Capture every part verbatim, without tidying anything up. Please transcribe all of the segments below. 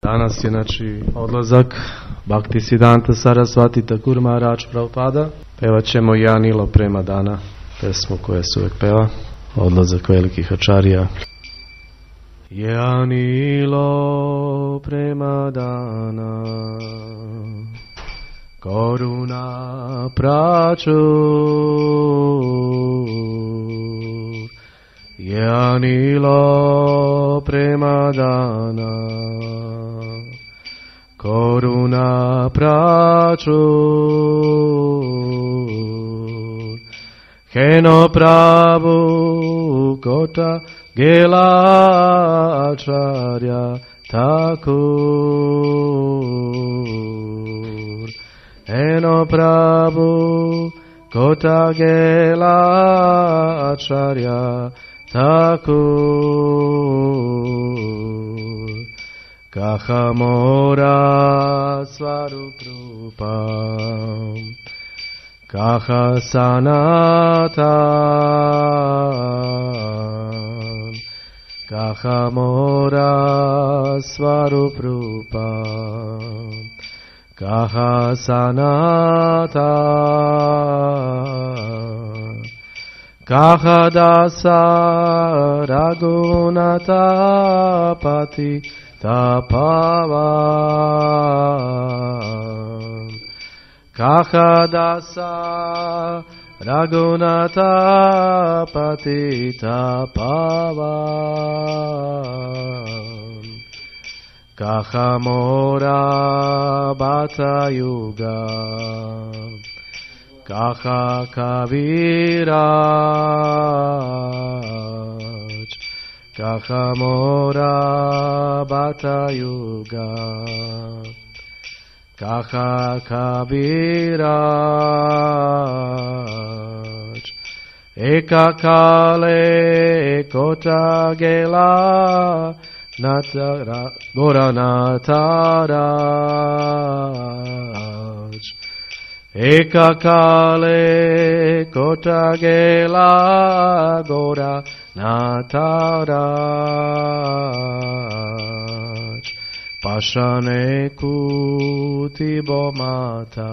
Danas je znači odlazak Bhaktisiddhanta Sarasvati Thakur Maharaj Prabhupada. Pevat ćemo Ja Nilo Prema Dana, pesmu koja se uvijek peva. Odlazak velikih ačarija. Ja Nilo Prema Dana, Karuna Prachur. Ja Nilo Prema Dana, Karuna Prachur. Heno Prabhu Kota Gela Acharya Thakur. Heno Prabhu Kota Gela Acharya Thakur. Kahamora Svaruprupam, Kaha Sanatan, Kahamora Svaruprupam, Kaha Sanatan, Kaha Dasa Raghunatha Pati Tapavan. Kaha Dasa Raghunatha Pati Tapavan. Kaha Mora Bhata Yuga, Kaha Kaviraj, Kaha Mora Bhata Yuga, Kaha Kaviraj. Eka Kale Kota Gela Natara Gora Nataraj. Eka Kale Kota Gela Gora Nataraj. Pashane Kuti Bomata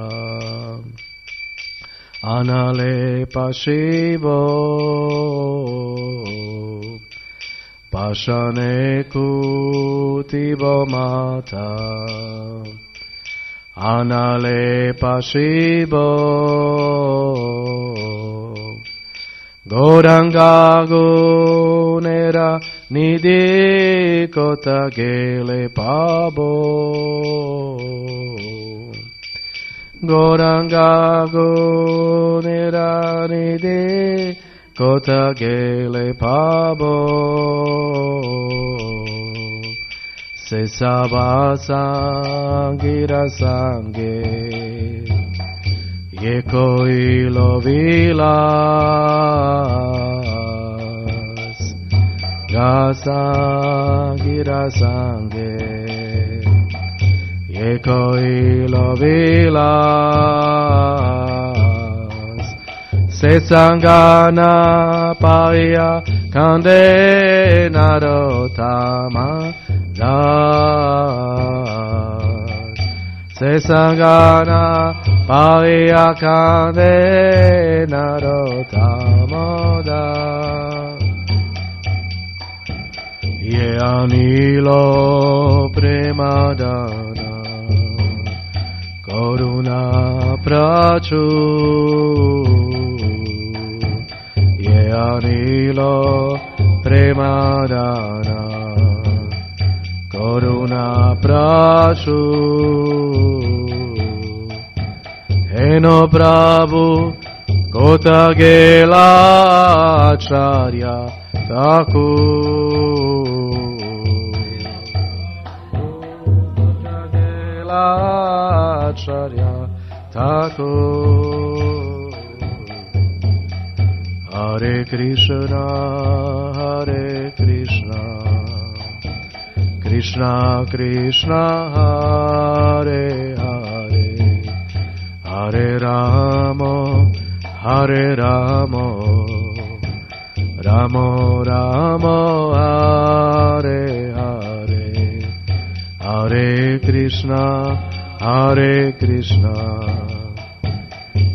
Anale Pashibo. Pashane Kuti Bomata Anale Pashibo. Goranga Gunera Nidhi Kota Gele Pabo. Goranga Gunera Nidhi Kota Gele Pabo. Se Sabasangira Sange Ye Koi Lovilas Gasangira Sange Ye Koi Lovilas Se Sangana Paya Kande Narotama Das. Se Sangana Paya Kande Narotama Das. Ye Anilo Prema Dana, Karuna Prachur. Ye Anilo Prema Dana, Karuna Prachur. Heno Prabhu Kota Gela Acharya Thakur. Kota Gela Acharya Thakur. Hare Krishna, Hare Krishna, Krishna Krishna, Hare Hare, Hare Rama, Hare Rama, Rama Rama, Hare Hare, Hare Krishna, Hare Krishna,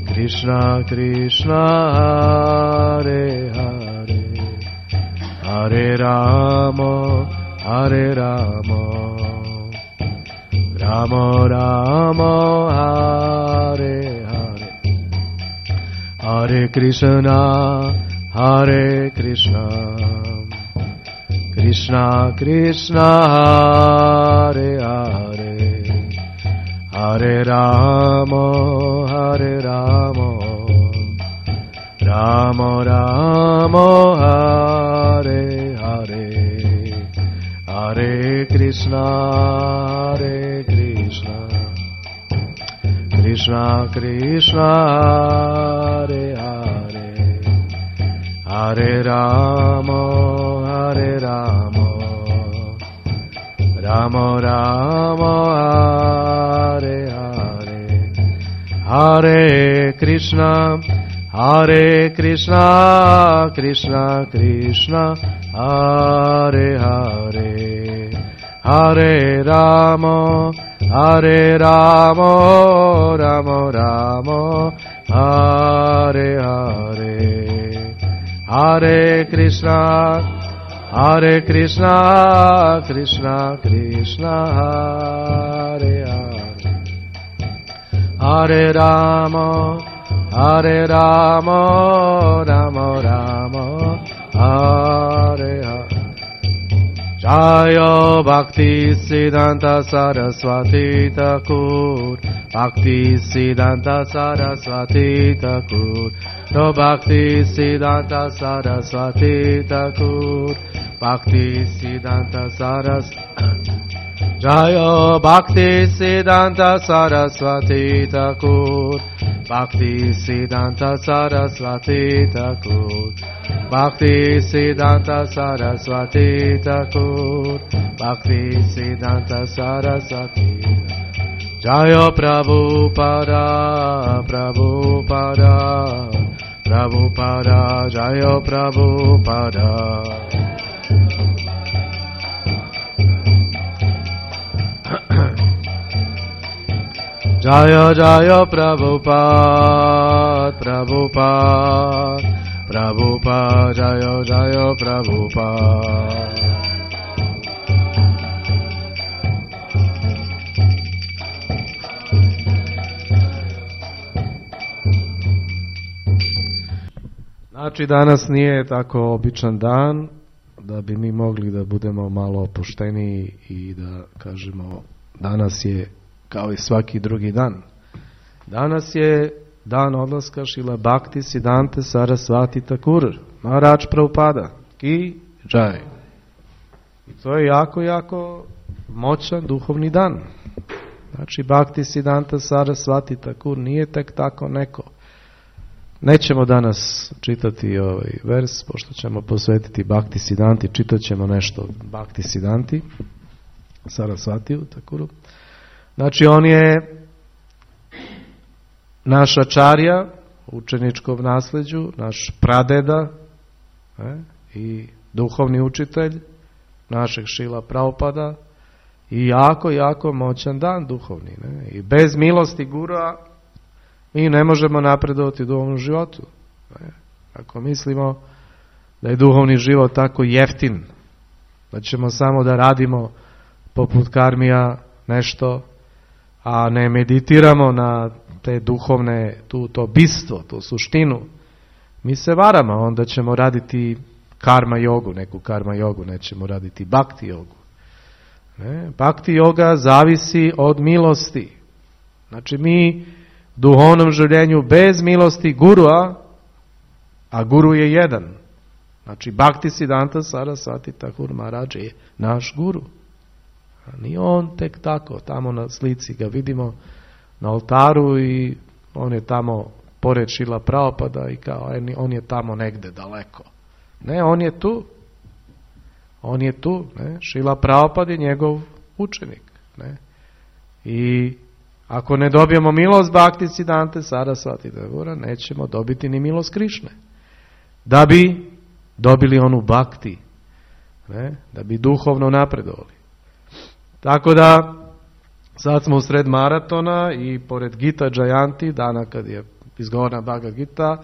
Krishna Krishna, Hare Hare, Hare Rama, Hare Rama, Rama Rama, Hare Hare, Hare Krishna, Hare Krishna, Krishna Krishna, Hare Hare, Hare Rama, Hare Rama, Rama Rama, Hare Hare, Hare Krishna, Hare Krishna, Krishna Krishna, Hare Hare, Hare Rama, Hare Rama, Rama Rama, Hare Hare, Hare Krishna, Hare Krishna, Krishna Krishna, Hare Hare, Hare Rama, Hare Rama, Rama Rama, Hare Hare, Hare Krishna, Hare Krishna, Krishna Krishna, Hare Hare, Hare Rama, Hare Rama, Rama Rama, Hare Hare. Jaya Bhakti Siddhanta Saraswati Thakur, Bhakti Siddhanta Saraswati Thakur, No Bhakti Siddhanta Saraswati Thakur, Bhakti Siddhanta Saraswati. Jaya Bhakti Siddhanta Saraswati Thakur, Bhakti Siddhanta Saraswati Thakur, Bhakti Siddhanta Saraswati Thakur, Bhakti Siddhanta Saraswati. Jaya Prabhupada, Prabhupada, Prabhupada, Jaya Prabhupada. Jaya Jaya Prabhupada, Prabhupada, Prabhupada, Jaya Jaya Prabhupada. Znači danas nije tako običan dan da bi mi mogli da budemo malo opušteniji i da kažemo danas je kao i svaki drugi dan. Danas je dan odlaska Šrila Bhakti Siddhante Saraswati Thakur, Maharaj Prabhupada, ki jai. I to je jako, jako moćan duhovni dan. Znači Bhakti Siddhante Saraswati Thakur nije tek tako neko. Nećemo danas čitati ovaj vers, pošto ćemo posvetiti Bhakti Siddhanti, čitat ćemo nešto Bhakti Siddhanti Sarasvatiju Thakuru. Znači on je naš ačarja u učeničkom nasljeđu, naš pradeda ne, i duhovni učitelj našeg Šrila Prabhupada i jako, jako moćan dan duhovni. Ne. I bez milosti gurua mi ne možemo napredovati u duhovnom životu. Ne. Ako mislimo da je duhovni život tako jeftin, da ćemo samo da radimo poput karmija nešto, a ne meditiramo na te duhovne, tu, to bistvo, tu suštinu, mi se varamo, onda ćemo raditi karma jogu, neku karma jogu, nećemo raditi bhakti jogu. Ne? Bhakti joga zavisi od milosti. Znači mi u duhovnom življenju bez milosti gurua, a guru je jedan. Znači Bhakti Siddhanta Saraswati Thakur Maharaj je naš guru. Nije on tek tako, tamo na slici ga vidimo na oltaru i on je tamo pored Šrila Prabhupada i kao on je tamo negde daleko. Ne, on je tu. On je tu. Ne? Šrila Prabhupada je njegov učenik. Ne? I ako ne dobijemo milost Bhakti Siddhante Saraswati Thakura, nećemo dobiti ni milost Krišne. Da bi dobili onu bhakti, ne? Da bi duhovno napredovali. Tako da Sad smo u sred maratona i pored Gita Jayanti, dana kad je izgovorena Bhagavad Gita,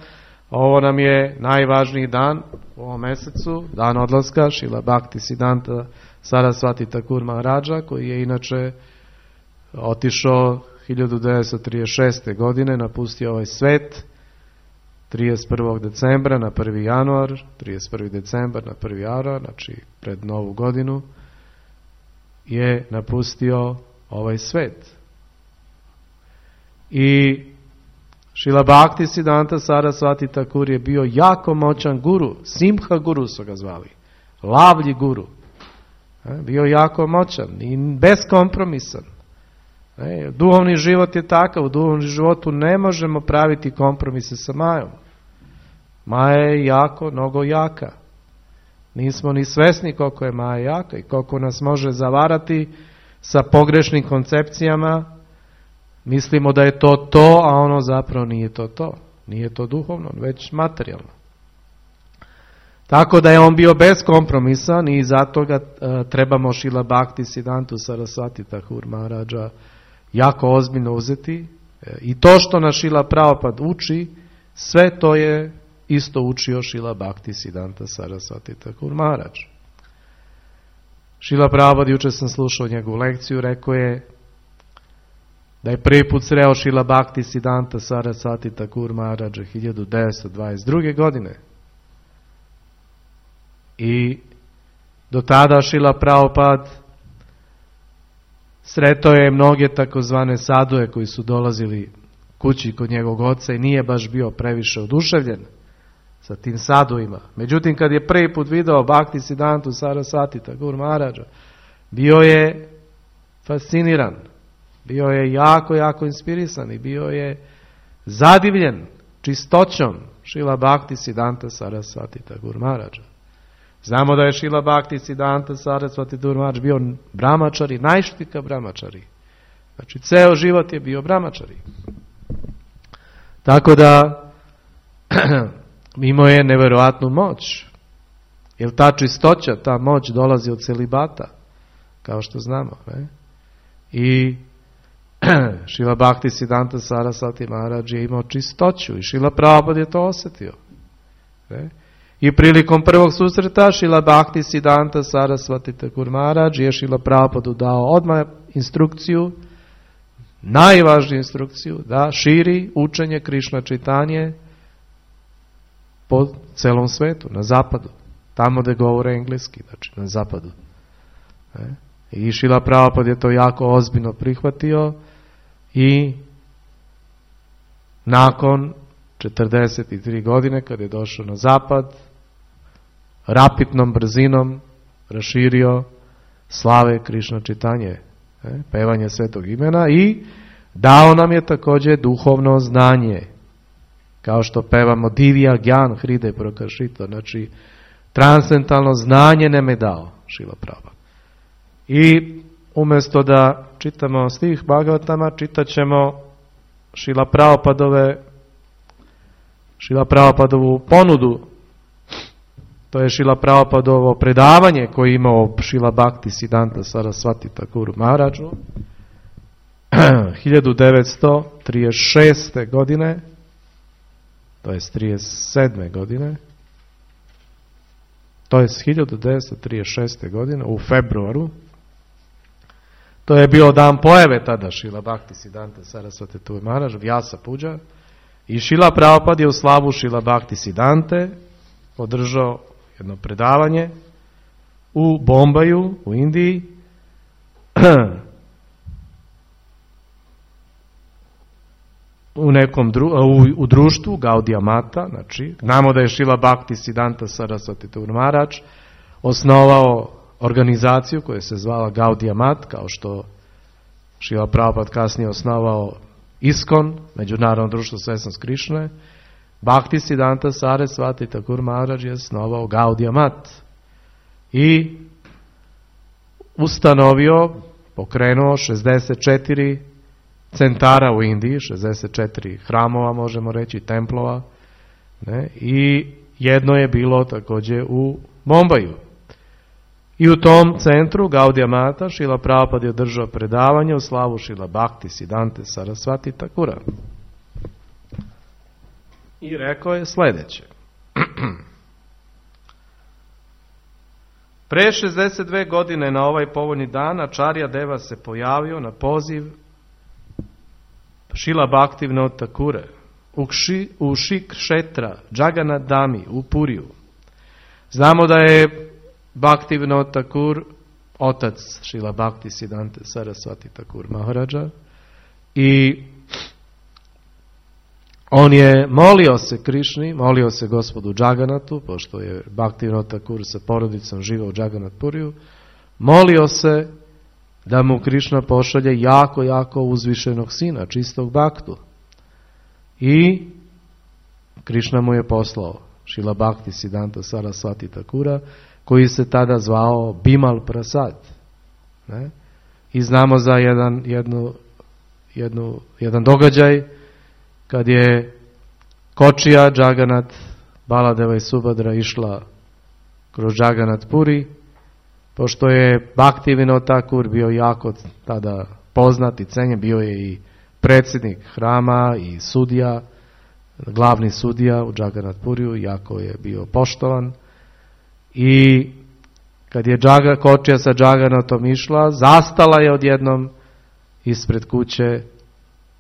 ovo nam je najvažniji dan u ovom mesecu, dan odlaska Šrila Bhaktisiddhanta Sarasvati Thakur Maharaja, koji je inače otišao hiljadu devetsto trideset šeste. godine, napustio ovaj svet trideset prvog decembra na prvi januar, trideset prvi decembar na prvi januar, znači pred novu godinu, je napustio ovaj svet. I Šrila Bhaktisiddhanta Sarasvati Thakur je bio jako moćan guru, Simha guru su ga zvali, lavlji guru. Bio jako moćan i beskompromisan. Duhovni život je takav, u duhovnom životu ne možemo praviti kompromise sa Majom. Maja je jako, mnogo jaka. Nismo ni svesni koliko je Maja jaka i koliko nas može zavarati sa pogrešnim koncepcijama. Mislimo da je to to, a ono zapravo nije to to. Nije to duhovno, već materijalno. Tako da je on bio beskompromisan i zato ga uh, trebamo Šrila Bhaktisiddhantu Sarasvati Thakur Maharaja jako ozbiljno uzeti. E, I to što nas Šrila Prabhupada uči, sve to je isto učio Šrila Bhaktisiddhanta Sarasvati Thakur Maharaj. Šrila Prabhupada, jučer sam slušao njegovu lekciju, rekao je da je prvi put sreo Šrila Bhaktisiddhanta Sarasvati Thakur Maharaja hiljadu devetsto dvadeset druge. godine. I do tada Šrila Prabhupada sretao je mnoge takozvane saduje koji su dolazili kući kod njegovog oca i nije baš bio previše oduševljen sa tim sadujima. Međutim, kad je prvi put video Bhaktisiddhantu Sarasvati Thakur Maharaja, bio je fasciniran, bio je jako, jako inspirisan i bio je zadivljen čistoćom Šrila Bhaktisiddhanta Sarasvati Thakur Maharaja. Znamo da je Šrila Bhaktisiddhanta Sarasvati Thakur Maharaja bio brahmačari, najštika brahmačari. Znači, ceo život je bio brahmačari. Tako da, imao je neverovatnu moć. Jer ta čistoća, ta moć dolazi od celibata, kao što znamo. Ne? I Šrila Bhaktisiddhanta Sarasvati Maharaja je imao čistoću i Šrila Prabhupada je to osjetio. Ne? I prilikom prvog susreta Šrila Bhaktisiddhanta Sarasvati Thakur Maharaja je Šrila Prabhupada dao odmah instrukciju, najvažniju instrukciju, da širi učenje Krišna Čitanje po celom svetu, na zapadu. Tamo gde govore engleski, znači na zapadu. Ne? I Šrila Prabhupada je to jako ozbiljno prihvatio i nakon četrdeset tri. godine, kada je došao na zapad, rapidnom brzinom raširio slave Krišna Čitanje, ne, pevanje svetog imena, i dao nam je također duhovno znanje, kao što pevamo Divya Gyan Hride Prakašita, znači transcendentalno znanje nam je dao Šrila Prabhupada. I umjesto da čitamo stih Bhagavatama, čitat ćemo Šrila Prabhupadove Šrila Prabhupadovu ponudu. To je Šrila Prabhupadovo predavanje koje je imao Šrila Bhaktisiddhanta Sarasvati Thakur Maharaja hiljadu devetsto trideset šeste. godine, to je trideset sedme. godine, to je hiljadu devetsto trideset šeste. godine u februaru. To je bio dan pojave tada Šrila Bhaktisiddhanta Sarasvati Thakur Maharaja, Vyasa Puja. I Šrila Prabhupada je u slavu Šrila Bhaktisiddhante održao jedno predavanje u Bombaju, u Indiji, u nekom dru, u, u društvu Gaudiya Mata. Znači, znamo da je Šrila Bhaktisiddhanta Sarasvati Thakur Maharaja osnovao organizaciju koja se zvala Gaudiya Mat, kao što Šrila Prabhupada kasnije osnovao ISKCON, Međunarodno društvo svesnost Krišne. Bhaktisiddhanta Sarasvati Thakur Maharaja je osnovao Gaudiya Mat i ustanovio, pokrenuo šezdeset četiri centara u Indiji, šezdeset četiri hramova, možemo reći, templova, ne? I jedno je bilo također u Bombaju. I u tom centru Gaudija Mata Šrila Prabhupada je održao predavanje u slavu Šrila Bhakti Siddhante Sarasvati Thakura. I rekao je sljedeće. Pre šezdeset dve godine na ovaj povoljni dan Acharya Deva se pojavio na poziv Šrila Bhaktivinoda Thakure u, kši, u Šikšetra Jagannath Dhami u Puriju. Znamo da je Bhaktivinoda Thakur otac Šrila Bhakti Siddhante Sarasvati Thakur Maharaja i on je molio se Krišni, molio se gospodu Jagannathu, pošto je Bhaktivinoda Thakur sa porodicom živao u Jagannath Puriju, molio se da mu Krišna pošalje jako, jako uzvišenog sina, čistog bhaktu. I Krišna mu je poslao Šrila Bhakti Siddhanta Sarasvati Thakura, koji se tada zvao Bimal Prasad. Ne? I znamo za jedan, jednu, jednu, jedan događaj kad je kočija Jagannath, Baladeva i Subhadra išla kroz Jagannath Puri, pošto je Bhaktivinoda Thakur bio jako tada poznat i cenjen, bio je i predsjednik hrama i sudija, glavni sudija u Jagannath Puriju, jako je bio poštovan. I kad je Džaga, kočija sa Jagannathom išla, zastala je odjednom ispred kuće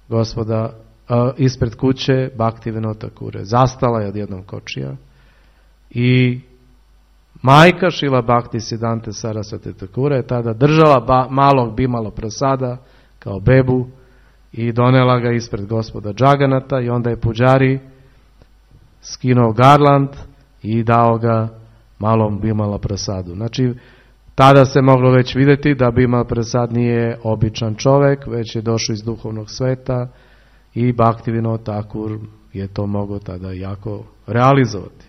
gospoda, uh, ispred kuće Bhaktivinoda Thakure. Zastala je odjednom kočija i majka Šrila Bhakti Siddhante Sarasvati Thakure je tada držala ba, malog Bimala Prasada kao bebu i donela ga ispred gospoda Jagannatha i onda je puđari skinuo garland i dao ga malom Bimala Prasadu. Znači, tada se moglo već vidjeti da Bimal Prasad nije običan čovjek, već je došao iz duhovnog sveta i Bhaktivinoda Thakur je to mogao tada jako realizovati.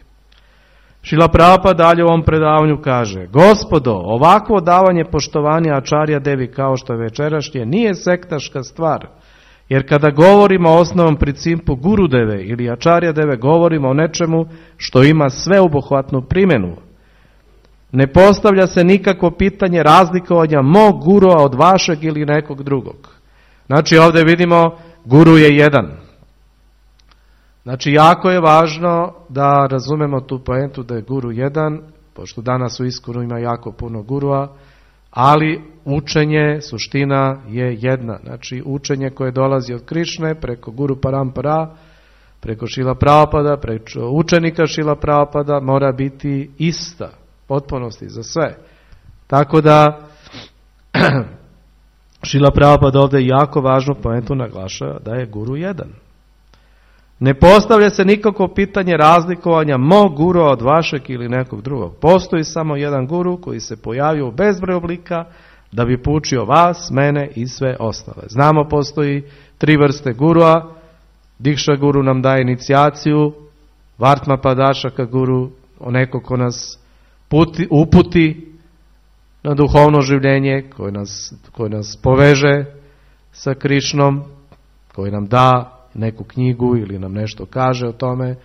Šrila Prabhupada dalje u ovom predavanju kaže: Gospodo, ovakvo davanje poštovanja Acharya Devi kao što je večerašnje nije sektaška stvar, jer kada govorimo o osnovnom principu Gurudeve ili Acharya Deve, govorimo o nečemu što ima sveobuhvatnu primjenu. Ne postavlja se nikakvo pitanje razlikovanja mog gurua od vašeg ili nekog drugog. Znači ovdje vidimo guru je jedan. Znači jako je važno da razumemo tu poentu da je guru jedan, pošto danas u Iskonu ima jako puno gurua, ali učenje, suština je jedna. Znači učenje koje dolazi od Krišne preko Guru Parampara, preko Šrila Prabhupada, preko učenika Šrila Prabhupada mora biti ista, potpunosti za sve. Tako da Šrila Prabhupada ovdje jako važnu poentu naglašava da je guru jedan. Ne postavlja se nikako pitanje razlikovanja mog gurua od vašeg ili nekog drugog. Postoji samo jedan guru koji se pojavio u bezbroj oblika da bi poučio vas, mene i sve ostale. Znamo, postoji tri vrste gurua. Dikša guru nam daje inicijaciju, Vartma Padašaka guru, oneko ko nas puti, uputi na duhovno življenje, koji nas, koji nas poveže sa Krišnom, koji nam da neku knjigu ili nam nešto kaže o tome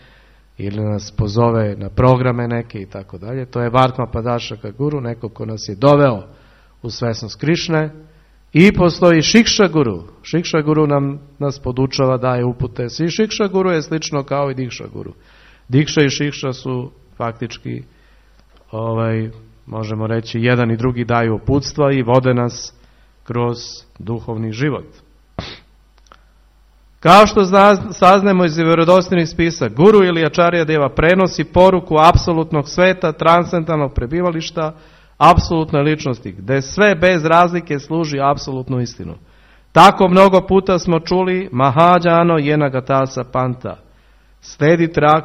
ili nas pozove na programe neke i tako dalje. To je Vartma Padašaka guru, neko ko nas je doveo u svesnost Krišne. I postoji Šikša guru. Šikša guru nam nas podučava, daje upute. I Šikša guru je slično kao i Dikša guru. Dikša i Šikša su faktički, ovaj, možemo reći, jedan i drugi daju uputstva i vode nas kroz duhovni život. Kao što saznajemo iz vjerodostojnih spisa, guru ili Acharya Deva prenosi poruku apsolutnog sveta, transcendentalnog prebivališta, apsolutnoj ličnosti, gdje sve bez razlike služi apsolutnu istinu. Tako mnogo puta smo čuli Mahadžano Jenagatasa Panta. Sledi, trak,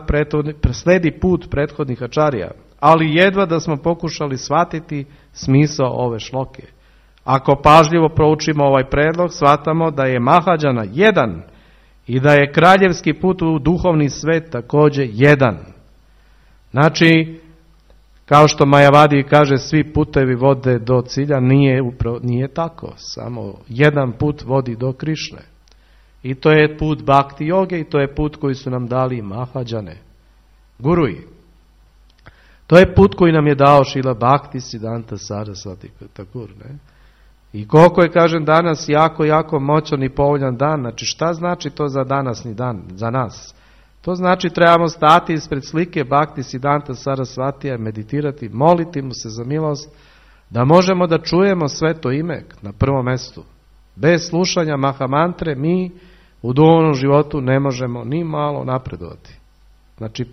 sledi put prethodnih Acharya, ali jedva da smo pokušali shvatiti smisao ove šloke. Ako pažljivo proučimo ovaj predlog, shvatamo da je Mahadžana jedan i da je kraljevski put u duhovni svet također jedan. Znači, kao što Majavadi kaže, svi putevi vode do cilja, nije, upro, nije tako. Samo jedan put vodi do Krišne. I to je put Bhakti joge i to je put koji su nam dali Mahadžane, guruji. To je put koji nam je dao Šrila Bhaktisiddhanta Sarasvati Thakur, ne? I koliko je, kažem, danas jako, jako moćan i povoljan dan. Znači, šta znači to za danasni dan, za nas? To znači trebamo stati ispred slike Bhaktisiddhanta Sarasvatija, meditirati, moliti mu se za milost, da možemo da čujemo sveto ime na prvom mestu. Bez slušanja mahamantre mi u duhovnom životu ne možemo ni malo napredovati. Znači,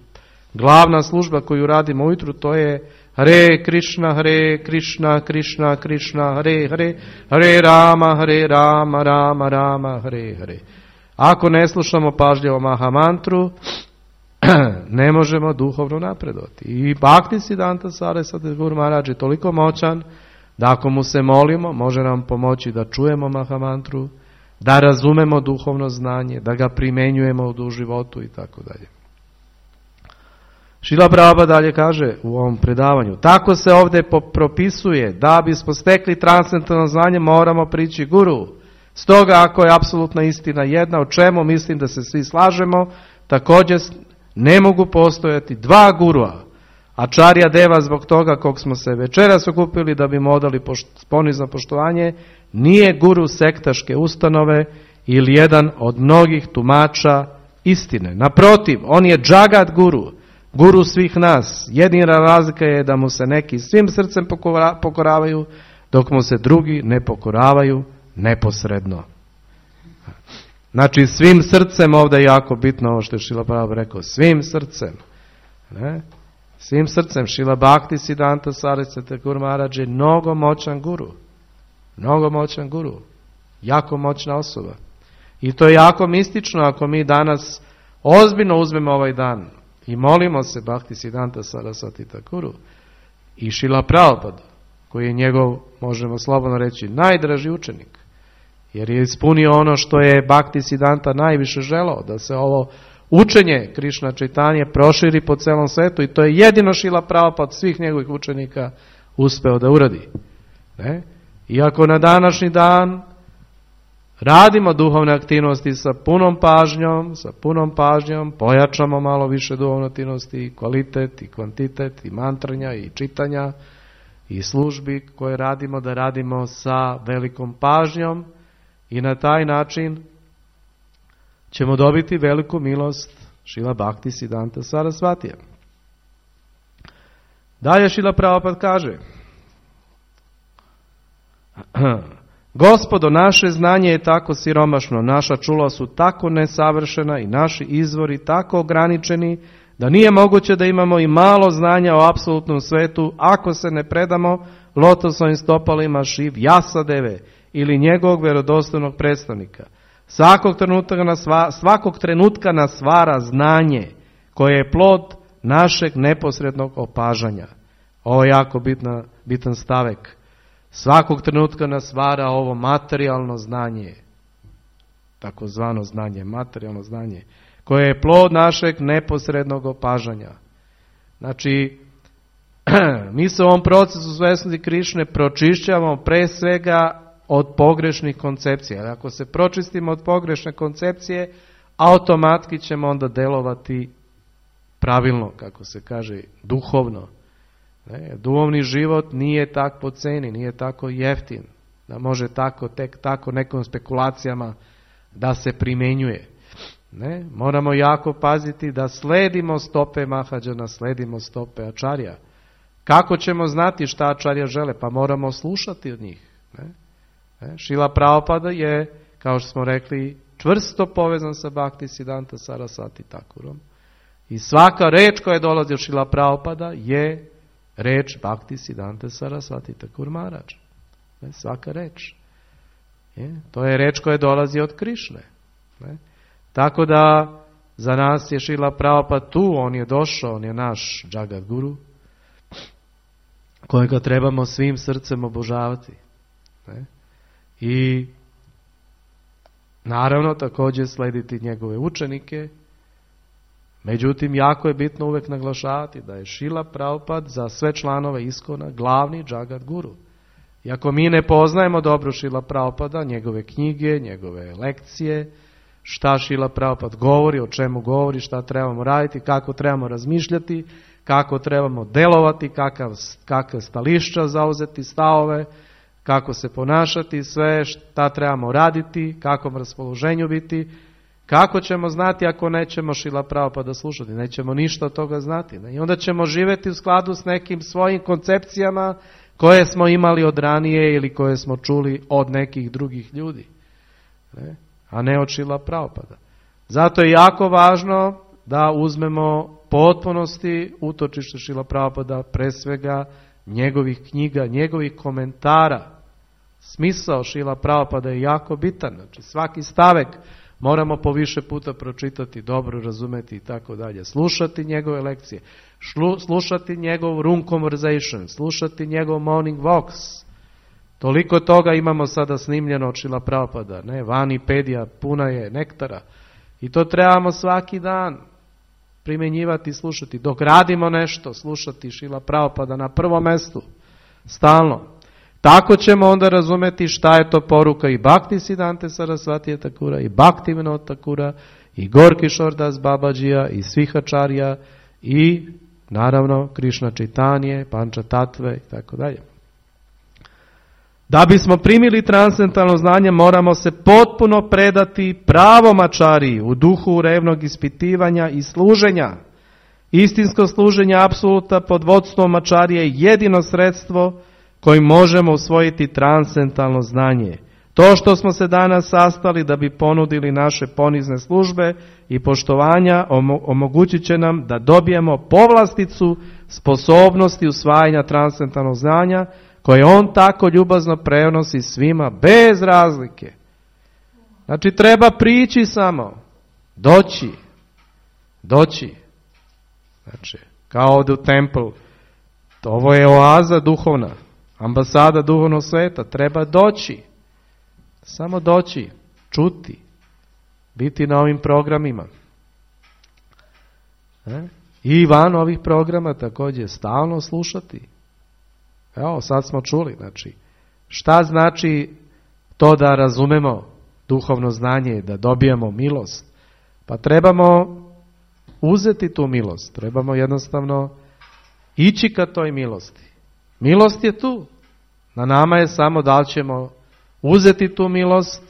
glavna služba koju radimo ujutru, to je Hare Krishna, Hare Krishna, Krishna Krishna, Hare Hare, Hare Rama, Hare Rama, Rama Rama, Hare Hare. Ako ne slušamo pažljivo mahamantru, ne možemo duhovno napredovati. I Bhaktisiddhanta Sarasvati Thakur Maharaj je toliko moćan da ako mu se molimo, može nam pomoći da čujemo mahamantru, da razumemo duhovno znanje, da ga primenjujemo u životu i tako dalje. Šrila Prabhupada dalje kaže u ovom predavanju, tako se ovdje propisuje da bismo stekli transcendentalno znanje moramo prići guru. Stoga ako je apsolutna istina jedna, o čemu mislim da se svi slažemo, također ne mogu postojati dva gurua. Acharya Deva zbog toga kog smo se večeras okupili da bi mu odali ponizno poštovanje, nije guru sektaške ustanove ili jedan od mnogih tumača istine. Naprotiv, on je džagat guru, guru svih nas. Jedina razlika je da mu se neki svim srcem pokoravaju, dok mu se drugi ne pokoravaju neposredno. Znači, svim srcem, ovdje je jako bitno ovo što je Šrila Prabhupada rekao, svim srcem. Ne? Svim srcem. Šrila Bhaktisiddhanta Sarasvati Thakur Maharaj je mnogo moćan guru. Mnogo moćan guru. Jako moćna osoba. I to je jako mistično ako mi danas ozbiljno uzmemo ovaj dan i molimo se Bhaktisiddhanta Sarasvati Thakuru i Šrila Prabhupada, koji je njegov, možemo slobodno reći, najdraži učenik. Jer je ispunio ono što je Bhaktisiddhanta najviše želao, da se ovo učenje Krišna Čaitanje proširi po celom svetu i to je jedino Šrila Prabhupada od svih njegovih učenika uspeo da uradi. Ne? Iako na današnji dan radimo duhovne aktivnosti sa punom pažnjom, sa punom pažnjom, pojačamo malo više duhovne aktivnosti, i kvalitet, i kvantitet, i mantranja, i čitanja, i službi koje radimo, da radimo sa velikom pažnjom i na taj način ćemo dobiti veliku milost Šrila Bhaktisiddhanta Sarasvatija. Dalje Šrila Prabhupada kaže, Gospodo, naše znanje je tako siromašno, naša čula su tako nesavršena i naši izvori tako ograničeni da nije moguće da imamo i malo znanja o apsolutnom svetu ako se ne predamo lotosovim stopalima Šiv Jasadeve ili njegovog vjerodostojnog predstavnika. Svakog trenutka, nas, svakog trenutka nas stvara znanje koje je plod našeg neposrednog opažanja. Ovo je jako bitna, bitan stavek. Svakog trenutka nas stvara ovo materijalno znanje, takozvano znanje, materijalno znanje, koje je plod našeg neposrednog opažanja. Znači, mi se u ovom procesu svjesnosti Krišne pročišćavamo pre svega od pogrešnih koncepcija. Ako se pročistimo od pogrešne koncepcije, automatski ćemo onda delovati pravilno, kako se kaže, duhovno. Ne, duhovni život nije tako po ceni, nije tako jeftin, da može tako, tek tako nekom spekulacijama da se primenjuje. Ne, moramo jako paziti da sledimo stope Mahađana, sledimo stope Acharya. Kako ćemo znati šta Acharya žele? Pa moramo slušati od njih. Ne? Ne? Šrila Prabhupada je, kao što smo rekli, čvrsto povezan sa Bhaktisiddhanta Sarasvati Thakurom. I svaka reč koja dolazi od Šrila Prabhupada je reč Bhaktisiddhanta Sarasvati Thakur Maharaj. Ne? Svaka reč. Je? To je reč koja dolazi od Krišne. Ne? Tako da za nas je Šrila Prabhupada tu, on je došao, on je naš Jagat Guru, kojega trebamo svim srcem obožavati. Ne? I naravno također slediti njegove učenike. Međutim, jako je bitno uvijek naglašavati da je Šrila Prabhupada za sve članove Iskona glavni Jagat Guru. I ako mi ne poznajemo dobro Šrila Prabhupada, njegove knjige, njegove lekcije, šta Šrila Prabhupada govori, o čemu govori, šta trebamo raditi, kako trebamo razmišljati, kako trebamo delovati, kakav, kakve stališća zauzeti, stavove, kako se ponašati, sve šta trebamo raditi, kakvom raspoloženju biti, kako ćemo znati ako nećemo Šrila Prabhupada slušati, nećemo ništa od toga znati. I onda ćemo živjeti u skladu s nekim svojim koncepcijama koje smo imali od ranije ili koje smo čuli od nekih drugih ljudi, ne? A ne od Šrila Prabhupada. Zato je jako važno da uzmemo potpunosti utočište Šrila Prabhupada, pre svega njegovih knjiga, njegovih komentara. Smisao Šrila Prabhupada je jako bitan, znači svaki stavek moramo po više puta pročitati, dobro razumeti i tako dalje. Slušati njegove lekcije, šlu, slušati njegov room conversation, slušati njegov morning walks. Toliko toga imamo sada snimljeno od Šrila Prabhupada, ne, Vanipedija puna je nektara. I to trebamo svaki dan primjenjivati i slušati. Dok radimo nešto, slušati Šrila Prabhupada na prvom mjestu, stalno. Tako ćemo onda razumjeti šta je to poruka i Bhaktisiddhante Sarasvatija Thakura, i Bhaktivinoda Thakura, i Gorki Šordas Babađija, i svih ačarija, i naravno Krišna Čitanje, Panča Tatve i tako dalje. Da bismo primili transcendentalno znanje, moramo se potpuno predati pravom ačariji u duhu revnog ispitivanja i služenja. Istinsko služenje apsoluta pod vodstvom ačarije je jedino sredstvo kojim možemo usvojiti transcendentalno znanje. To što smo se danas sastali da bi ponudili naše ponizne službe i poštovanja omogućit će nam da dobijemo povlasticu sposobnosti usvajanja transcendentalnog znanja koje on tako ljubazno prenosi svima bez razlike. Znači treba prići samo, doći, doći. Znači, kao ovdje u templu, ovo je oaza duhovna, ambasada duhovnog sveta, treba doći, samo doći, čuti, biti na ovim programima. E? I van ovih programa također stalno slušati. Evo, sad smo čuli, znači, šta znači to da razumemo duhovno znanje, da dobijemo milost? Pa trebamo uzeti tu milost, trebamo jednostavno ići ka toj milosti. Milost je tu, na nama je samo da li ćemo uzeti tu milost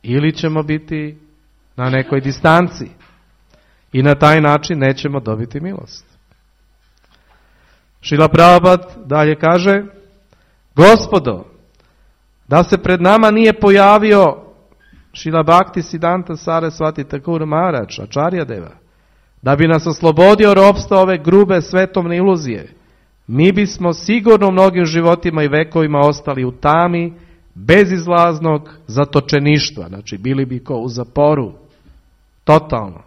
ili ćemo biti na nekoj distanci i na taj način nećemo dobiti milost. Šrila Prabhupada dalje kaže: Gospodo, da se pred nama nije pojavio Šrila Bhaktisiddhanta Sarasvati Thakur Maharaj, Acharya Deva, da bi nas oslobodio ropstva ove grube svetovne iluzije, mi bismo sigurno u mnogim životima i vekovima ostali u tami bezizlaznog zatočeništva, znači bili bi ko u zaporu, totalno.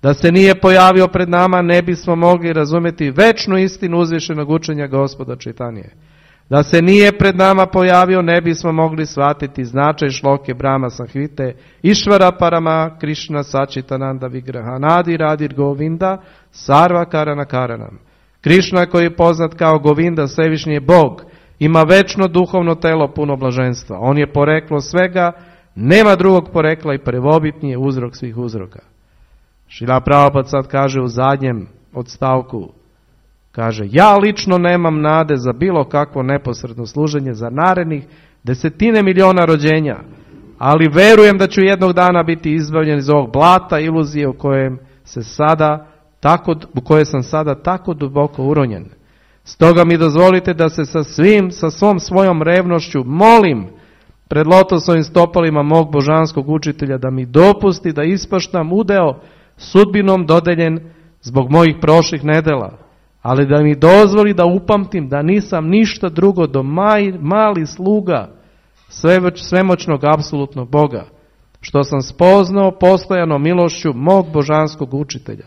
Da se nije pojavio pred nama, ne bismo mogli razumjeti večnu istinu uzvišenog učenja Gospoda Čaitanije. Da se nije pred nama pojavio, ne bismo mogli shvatiti značaj šloke Brahma Sanhite, Išvara Parama, Krišna Sačitananda Vigraha, Nadi Radir Govinda, Sarva Karana Karanam. Krišna koji je poznat kao Govinda, Svevišnji je Bog, ima večno duhovno telo puno blaženstva. On je poreklo svega, nema drugog porekla i prvobitni je uzrok svih uzroka. Šrila Prabhupada sad kaže u zadnjem odstavku, kaže: ja lično nemam nade za bilo kakvo neposredno služenje za narednih desetine miliona rođenja, ali verujem da ću jednog dana biti izbavljen iz ovog blata iluzije u kojem se sada tako, u koje sam sada tako duboko uronjen. Stoga mi dozvolite da se sa svim, sa svom svojom revnošću molim pred lotosovim stopalima mog božanskog učitelja da mi dopusti da ispaštam udeo sudbinom dodeljen zbog mojih prošlih nedela, ali da mi dozvoli da upamtim da nisam ništa drugo do maj, mali sluga svemoćnog apsolutnog Boga, što sam spoznao postojano milošću mog božanskog učitelja.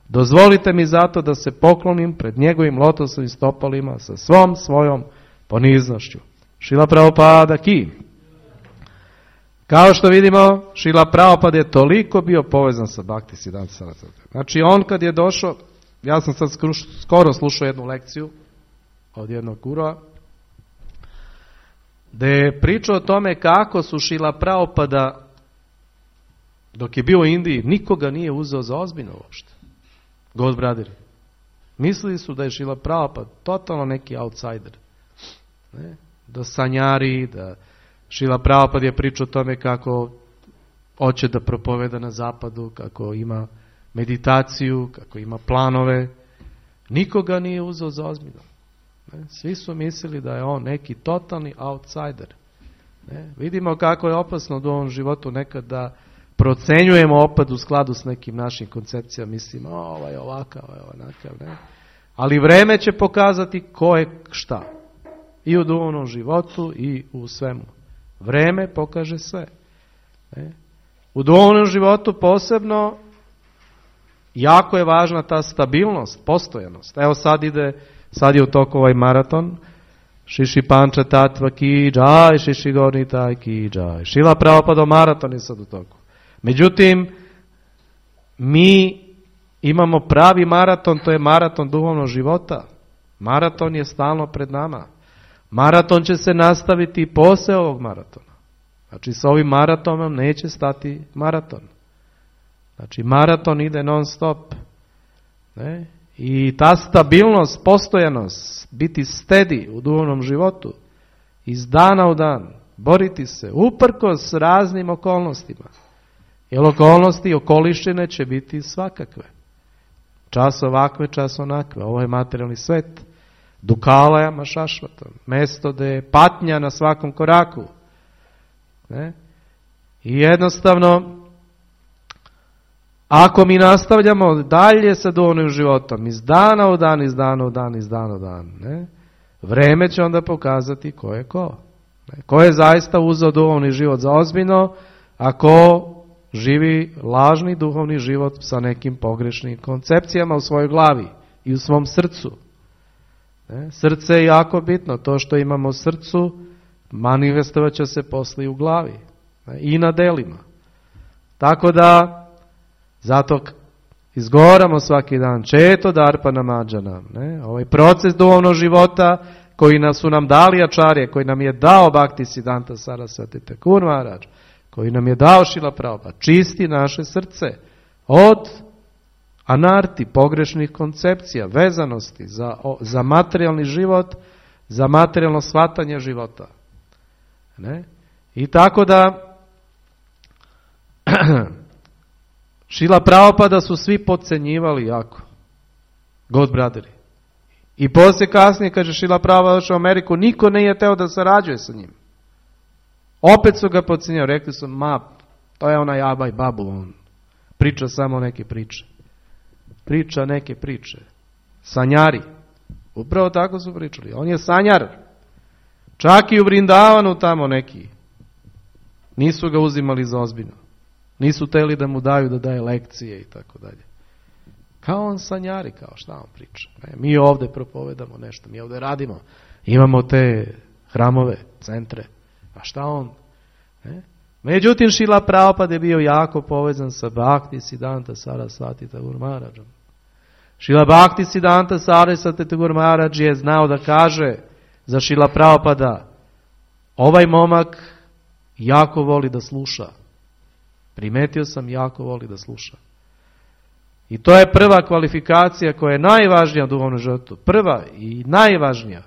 Dozvolite mi zato da se poklonim pred njegovim lotosovim stopalima sa svom svojom poniznošću. Šrila Prabhupada ki. Kao što vidimo, Šrila Prabhupada je toliko bio povezan sa Bhaktisiddhanta Sarasvati. Znači on kad je došao, ja sam sad skoro slušao jednu lekciju od jednog gurua, gdje je pričao o tome kako su Šrila Prabhupada dok je bio u Indiji, nikoga nije uzeo za ozbiljno uopšte. God brother. Mislili su da je Šrila Prabhupada totalno neki outsider. Ne? Da sanjari, da Šrila Prabhupada je pričao o tome kako hoće da propoveda na zapadu, kako ima meditaciju, kako ima planove. Nikoga nije uzeo za ozbiljno. Ne? Svi su mislili da je on neki totalni outsider. Ne? Vidimo kako je opasno u ovom životu nekad da procenjujemo opad u skladu s nekim našim koncepcijama. Mislimo, o, ovaj je ovakav, ovaj je onakav. Ne? Ali vreme će pokazati ko je šta. I u duhovnom životu i u svemu. Vreme pokaže sve. Ne? U duhovnom životu posebno jako je važna ta stabilnost, postojanost. Evo sad ide, sad je u toku ovaj maraton. Šiši Panča Tatva ki džaj, Šiši Gornitaj ki džaj. Šrila Prabhupada maraton je sad u toku. Međutim, mi imamo pravi maraton, to je maraton duhovnog života. Maraton je stalno pred nama. Maraton će se nastaviti i posle ovog maratona. Znači, sa ovim maratonom neće stati maraton. Znači, maraton ide non stop. Ne? I ta stabilnost, postojanost, biti steady u duhovnom životu, iz dana u dan, boriti se, uprkos raznim okolnostima. Jer okolnosti i okolišćine će biti svakakve. Čas ovakve, čas onakve. Ovo je materijalni svet. Dukalajama šašvatom. Mesto gde je patnja na svakom koraku. Ne? I jednostavno, ako mi nastavljamo dalje sa duhovnim životom, iz dana u dan, iz dana u dan, iz dana u dan, ne? Vreme će onda pokazati ko je ko. Ne? Ko je zaista uzeo duhovni život za ozbiljno, a ko živi lažni duhovni život sa nekim pogrešnim koncepcijama u svojoj glavi i u svom srcu. Ne? Srce je jako bitno. To što imamo u srcu manifestovat će se posle u glavi. Ne? I na delima. Tako da zato izgovaramo svaki dan Četo Darpana Mađana. Ne? Ovaj proces duhovnog života koji nas su nam dali ačarje, koji nam je dao Bhakti Siddhanta Sarasvati Thakur Maharaj, koji nam je dao Šrila Prabhupada, čisti naše srce od anarti, pogrešnih koncepcija, vezanosti za, za materijalni život, za materijalno shvatanje života. Ne? I tako da Šrila Prabhupada su svi podcenjivali jako. God brotheri. I poslije kasnije, kaže Šrila Prabhupada došao u Ameriku, niko nije teo da sarađuje sa njim. Opet su ga podcenjivali. Rekli su, ma, to je onaj Abaj Babu, on priča samo neke priče. Priča neke priče. Sanjari. Upravo tako su pričali. On je sanjar. Čak i u Vrindavanu tamo neki. Nisu ga uzimali za ozbiljno. Nisu teli da mu daju da daje lekcije i tako dalje. Kao on sanjari, kao šta on priča. Ne, mi ovdje propovedamo nešto, mi ovdje radimo. Imamo te hramove, centre. A šta on? Ne? Međutim, Šrila Prabhupada je bio jako povezan sa Bhakti Siddhanta Sarasvati Thakur Maharajom. Šrila Bhakti Siddhanta Sarasvati Thakur Maharaj je znao da kaže za Šrila Prabhupada, ovaj momak jako voli da sluša. Primetio sam, jako voli da sluša. I to je prva kvalifikacija koja je najvažnija u duhovnom životu. Prva i najvažnija.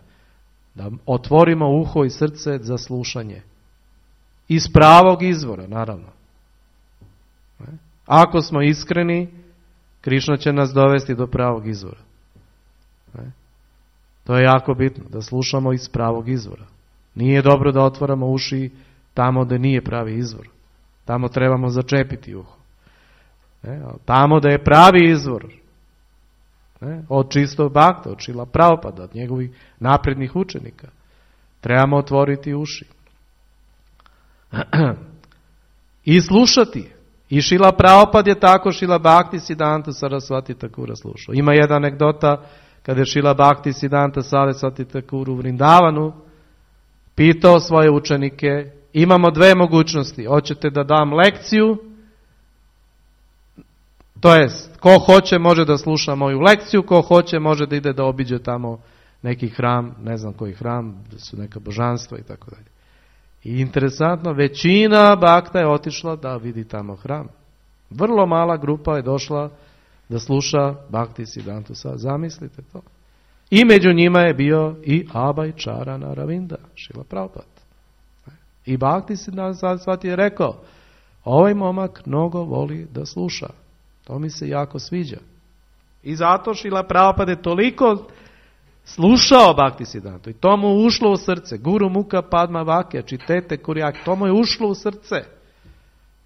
Da otvorimo uho i srce za slušanje. Iz pravog izvora, naravno. Ako smo iskreni, Krišna će nas dovesti do pravog izvora. To je jako bitno, da slušamo iz pravog izvora. Nije dobro da otvaramo uši tamo gdje nije pravi izvor. Tamo trebamo začepiti uho. Ne? Tamo da je pravi izvor. Ne? Od čistog bakta, od Šrila Prabhupada, od njegovih naprednih učenika. Trebamo otvoriti uši. I slušati. I Šrila Prabhupada je tako Šrila Bhakti Siddhanta Sarasvati Thakura slušao. Ima jedna anegdota kada je Šrila Bhakti Siddhanta Sarasvati Thakur u Vrindavanu pitao svoje učenike, imamo dve mogućnosti. Hoćete da dam lekciju, to jest, ko hoće može da sluša moju lekciju, ko hoće može da ide da obiđe tamo neki hram, ne znam koji hram, da su neka božanstva i tako dalje. I interesantno, većina bakta je otišla da vidi tamo hram. Vrlo mala grupa je došla da sluša Bhakti Siddhanta Sarasvati. Zamislite to. I među njima je bio i Abhay Charana Ravinda, Šrila Prabhupada. I Bhakti Siddhanta Sarasvati je rekao, ovaj momak mnogo voli da sluša. To mi se jako sviđa. I zato Šrila Prabhupada je toliko slušao Bhakti Siddhanta. I to mu ušlo u srce. Guru Muka Padma Vakya, čitete Kurijak, to mu je ušlo u srce.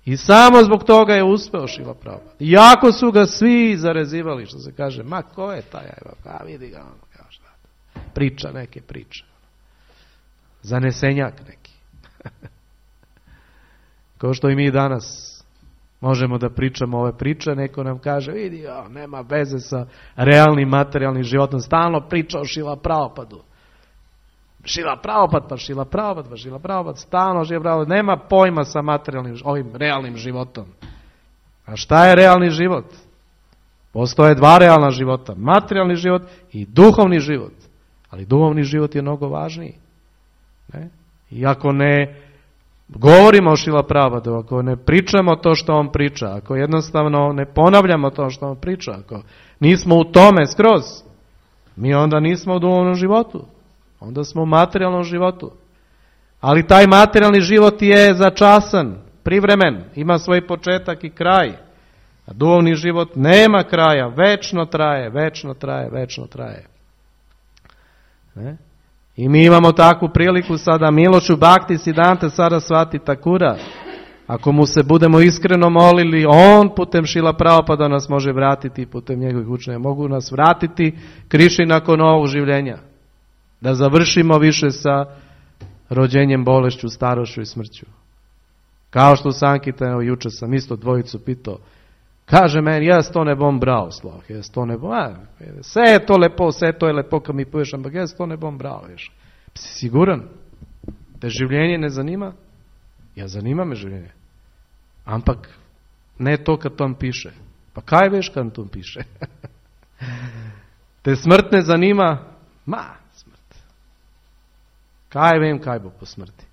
I samo zbog toga je uspeo Šrila Prabhupada. Jako su ga svi zarezivali, što se kaže, ma ko je taj, a vidi ga, ono, šta, priča neke priče. Zanesenjak neki. Kao što i mi danas možemo da pričamo ove priče, neko nam kaže, vidi, o, nema veze sa realnim materijalnim životom, stalno priča o Šrila Prabhupadu. Šrila Prabhupada, pa Šrila Prabhupada, pa Šrila Prabhupada, stalno Šrila Prabhupada, nema pojma sa materijalnim, ovim realnim životom. A šta je realni život? Postoje dva realna života, materijalni život i duhovni život. Ali duhovni život je mnogo važniji. Ne? I ako ne govorimo o Šrila Prabhupadu, ako ne pričamo to što on priča, ako jednostavno ne ponavljamo to što on priča, ako nismo u tome skroz, mi onda nismo u duhovnom životu. Onda smo u materijalnom životu. Ali taj materijalni život je začasan, privremen, ima svoj početak i kraj. A duhovni život nema kraja, večno traje, večno traje, večno traje. Ne? I mi imamo takvu priliku sada milošću Bhakti Siddhanta Sarasvati Thakura. Ako mu se budemo iskreno molili, on putem Šrila Prabhupada nas može vratiti, putem njegovih učenja. Mogu nas vratiti Krišni nakon ovog življenja. Da završimo više sa rođenjem, bolešću, starošću i smrću. Kao što Sankita, evo juče sam isto dvojicu pitao, kaže meni, jaz to ne bom bral, sloh, jaz to ne bom, a, vse je to lepo, vse to je lepo, kad mi poješ, ampak jaz to ne bom bral, veš. Si siguran? Te življenje ne zanima? Ja, zanima me življenje. Ampak ne to kad tam piše. Pa kaj veš kad tam piše? Te smrt ne zanima? Ma, smrt. Kaj vem, kaj bo po smrti?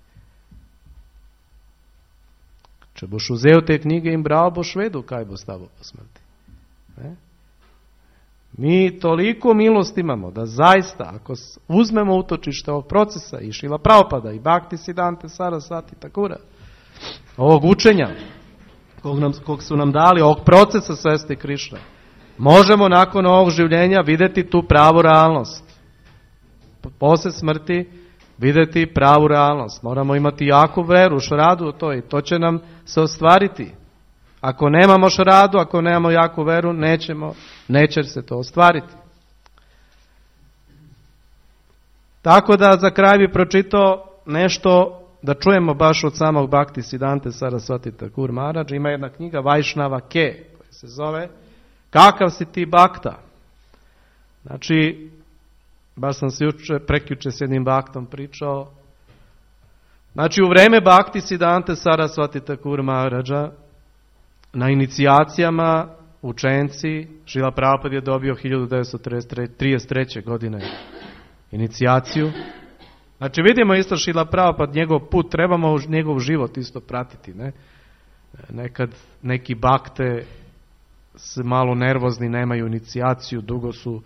Če boš vzel te knjige in bral, boš vedel, kaj bo s tabo po smrti. Ne? Mi toliko milosti imamo, da zaista, ako uzmemo utočište ovog procesa i Šrila Prabhupada i Bhakti Siddhanta Sarasvati Thakura, ovog učenja, kog, nam, kog su nam dali, ovog procesa svesti Krišne, možemo nakon ovog življenja vidjeti tu pravu realnost. Posle smrti vidjeti pravu realnost. Moramo imati jaku veru, šradu u to i to će nam se ostvariti. Ako nemamo šradu, ako nemamo jaku veru, nećemo, neće se to ostvariti. Tako da za kraj bi pročitao nešto da čujemo baš od samog Bhakti Siddhante Sarasvati Thakur Maharaj. Ima jedna knjiga Vajšnava Ke, koja se zove Kakav si ti Bhakta? Znači, baš sam se juče, prekjuče s jednim Bhaktom pričao. Znači, u vreme Bhakti Siddhante Sarasvati Thakur Maharaja, na inicijacijama učenci, Šrila Prabhupada je dobio hiljadu devetsto trideset treće. godine inicijaciju. Znači, vidimo isto Šrila Prabhupada, njegov put, trebamo njegov život isto pratiti. Ne? Nekad neki bakte su malo nervozni, nemaju inicijaciju, dugo su.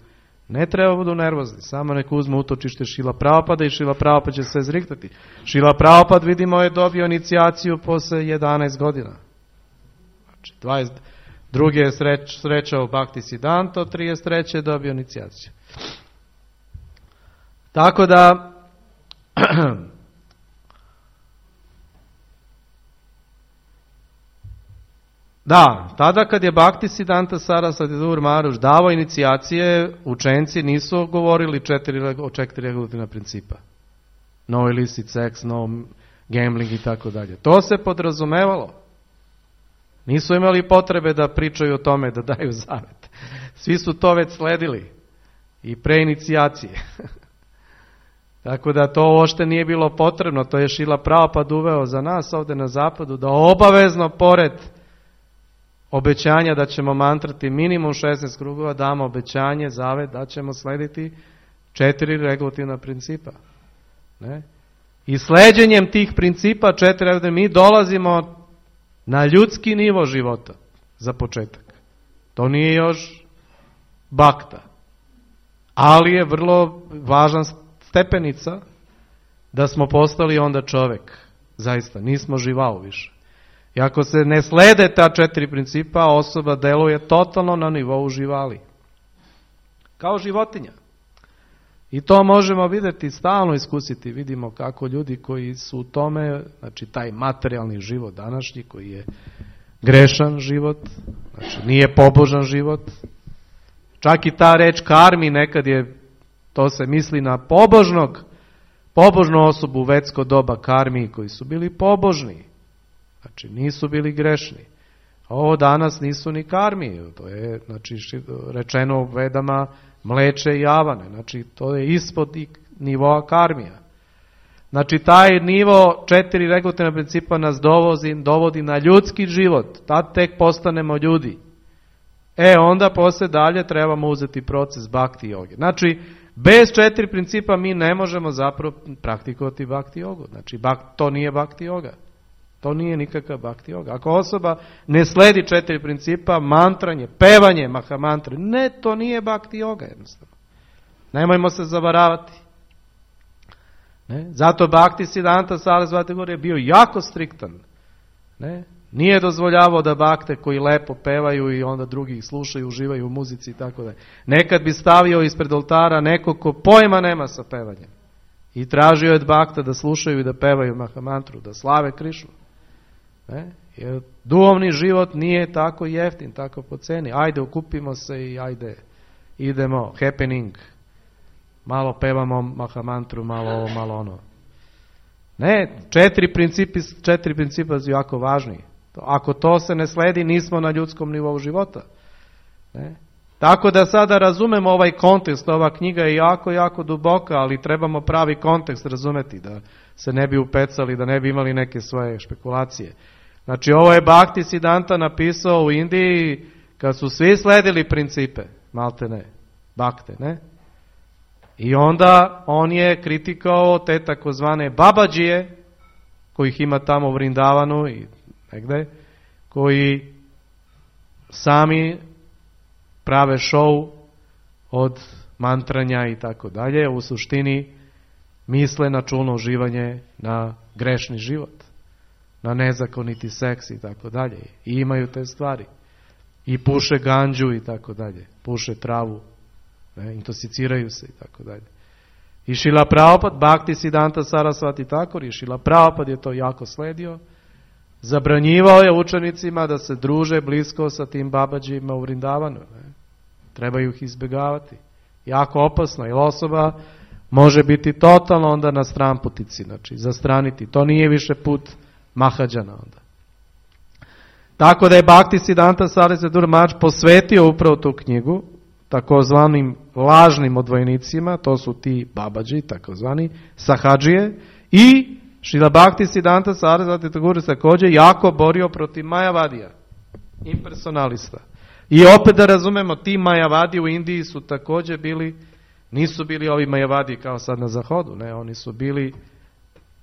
Ne treba budu nervozni, samo neko uzme utočište Šrila Prabhupada i Šrila Prabhupada će se zriktati. Šrila Prabhupada, vidimo, je dobio inicijaciju posle jedanaest godina. Znači, dvadeset drugi je sreč, srećao Bhakti Siddhanta, trideset treće je dobio inicijaciju. Tako da, da, tada kad je Bhakti Siddhanta Sarasvati Thakur Maharaj davao inicijacije, učenci nisu govorili četiri, o četiri regulativna principa. No illicit sex, no gambling i tako dalje. To se podrazumevalo. Nisu imali potrebe da pričaju o tome, da daju zavet. Svi su to već sledili. I pre inicijacije. Tako da to uopšte nije bilo potrebno. To je Šrila Prabhupada uveo za nas ovdje na zapadu, da obavezno pored obećanja da ćemo mantrati minimum šesnaest krugova, damo obećanje, zavet, da ćemo slediti četiri regulativna principa. Ne? I sleđenjem tih principa četiri, mi dolazimo na ljudski nivo života. za početak. To nije još bakta. Ali je vrlo važna stepenica da smo postali onda čovek. Zaista, nismo živao više. I ako se ne slede ta četiri principa, osoba deluje totalno na nivou živali. Kao životinja. I to možemo vidjeti, stalno iskusiti. Vidimo kako ljudi koji su u tome, znači taj materijalni život današnji, koji je grešan život, znači nije pobožan život. Čak i ta reč karmi nekad je, to se misli na pobožnog, pobožnu osobu u vetsko doba karmi, koji su bili pobožni. Znači nisu bili grešni. A ovo danas nisu ni karmi. To je, znači, rečeno u Vedama mleče i javane. Znači to je ispod nivoa karmija. Znači taj nivo četiri regulativna principa nas dovodi, dovodi na ljudski život. Tad tek postanemo ljudi. E onda posle dalje trebamo uzeti proces bhakti joge. Znači bez četiri principa mi ne možemo zapravo praktikovati bhakti jogu. Znači to nije bhakti joga. To nije nikakav bhakti joga. Ako osoba ne sledi četiri principa, mantranje, pevanje mahamantre, ne, to nije bhakti joga jednostavno. Nemojmo se zavaravati. Ne? Zato Bhakti Siddhanta Sarasvati Thakur je bio jako striktan. Ne? Nije dozvoljavao da bakte koji lepo pevaju i onda drugi slušaju, uživaju u muzici i tako dalje. Nekad bi stavio ispred oltara neko ko pojma nema sa pevanjem. I tražio je od bakta da slušaju i da pevaju mahamantru, da slave Krišnu. Ne? Jer duhovni život nije tako jeftin, tako po ceni. Ajde, okupimo se i ajde, idemo, happening. Malo pevamo mahamantru, malo ovo, malo ono. Ne, četiri principi, četiri principa su jako važni. Ako to se ne sledi, nismo na ljudskom nivou života. Ne? Tako da sada razumemo ovaj kontekst, ova knjiga je jako, jako duboka, ali trebamo pravi kontekst razumeti, da se ne bi upecali, da ne bi imali neke svoje špekulacije. Znači ovo je Bhakti Siddhanta napisao u Indiji kad su svi sledili principe, malte ne, bakte, ne? I onda on je kritikao te takozvane babadžije, kojih ima tamo u Vrindavanu i negde, koji sami prave show od mantranja i tako dalje, u suštini misle na čulno uživanje, na grešni život, na nezakoniti seks i tako dalje. I imaju te stvari. I puše ganđu i tako dalje. Puše travu. Ne, intoksiciraju se i tako dalje. I Šrila Prabhupada, Bhakti Siddhanta Sarasvati Thakur, i Šrila Prabhupada je to jako sledio. Zabranjivao je učenicima da se druže blisko sa tim babadžima u Vrindavanu. Ne. Trebaju ih izbjegavati. Jako opasno, jer osoba može biti totalno onda na stranputici, znači zastraniti. To nije više put Mahadžana onda. Tako da je Bhakti Siddhanta Sarasvati Thakur Maharaj posvetio upravo tu knjigu takozvanim lažnim odvojnicima, to su ti babadži, takozvani sahadžije, i Šrila Bhakti Siddhanta Sarasvati Thakur također jako borio protiv Majavadija, impersonalista. I opet da razumemo, ti Majavadi u Indiji su također bili, nisu bili ovi Majavadi kao sad na zahodu, ne, oni su bili,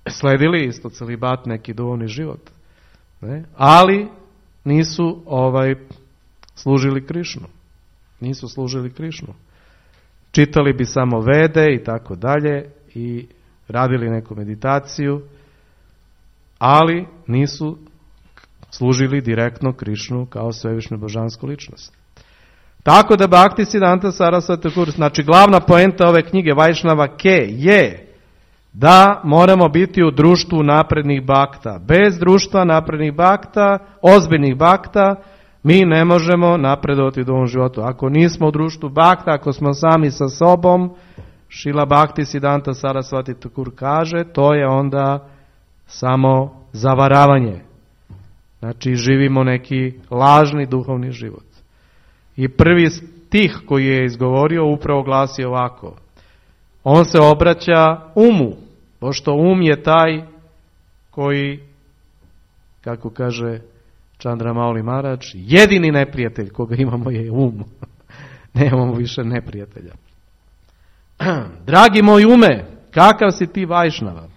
sledili isto celibat, neki duhovni život, ne, ali nisu ovaj služili Krišnu. Nisu služili Krišnu. Čitali bi samo Vede i tako dalje i radili neku meditaciju, ali nisu služili direktno Krišnu kao svevišnju božansku ličnost. Tako da Bhakti Siddhanta Sarasvati Thakur, znači glavna poenta ove knjige Vajšnava Ke je da moramo biti u društvu naprednih bakta. Bez društva naprednih bakta, ozbiljnih bakta, mi ne možemo napredovati u ovom životu. Ako nismo u društvu bakta, ako smo sami sa sobom, Šrila Bhakti Siddhanta Sarasvati Thakur kaže, to je onda samo zavaravanje. Znači živimo neki lažni duhovni život. I prvi stih koji je izgovorio upravo glasi ovako. On se obraća umu, pošto um je taj koji, kako kaže Chandramauli Maharaj, jedini neprijatelj koga imamo je um. Nemamo više neprijatelja. Dragi moj ume, kakav si ti Vajšnava?